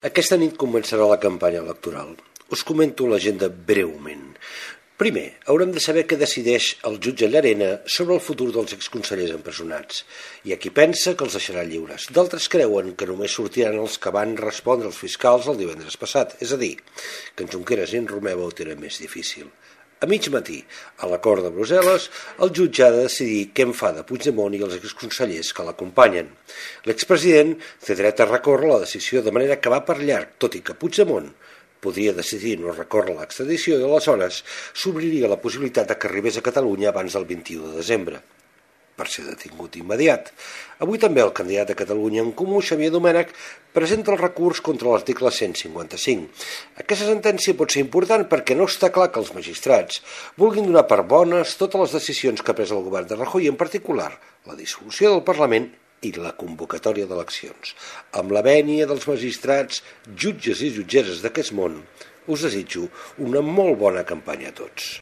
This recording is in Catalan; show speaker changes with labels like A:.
A: Aquesta nit començarà la campanya electoral. Us comento l'agenda breument. Primer, haurem de saber què decideix el jutge Llarena sobre el futur dels exconsellers empresonats. Hi ha qui pensa que els deixarà lliures. D'altres creuen que només sortiran els que van respondre als fiscals el divendres passat, és a dir, que en Junqueras i en Romeva ho tenen més difícil. A mig matí, a l'acord de Brussel·les, el jutge ha de decidir què en fa de Puigdemont i els exconsellers que l'acompanyen. L'expresident té dret a recórrer la decisió de manera que va per llarg, tot i que Puigdemont podria decidir no recórrer l'extradició i aleshores s'obriria la possibilitat que arribés a Catalunya abans del 21 de desembre, per ser detingut immediat. Avui també el candidat de Catalunya en Comú, Xavier Domènech, presenta el recurs contra l'article 155. Aquesta sentència pot ser important perquè no està clar que els magistrats vulguin donar per bones totes les decisions que ha pres el govern de Rajoy, en particular la dissolució del Parlament i la convocatòria d'eleccions. Amb la vènia dels magistrats, jutges i jutgeres d'aquest món, us desitjo una molt bona campanya a tots.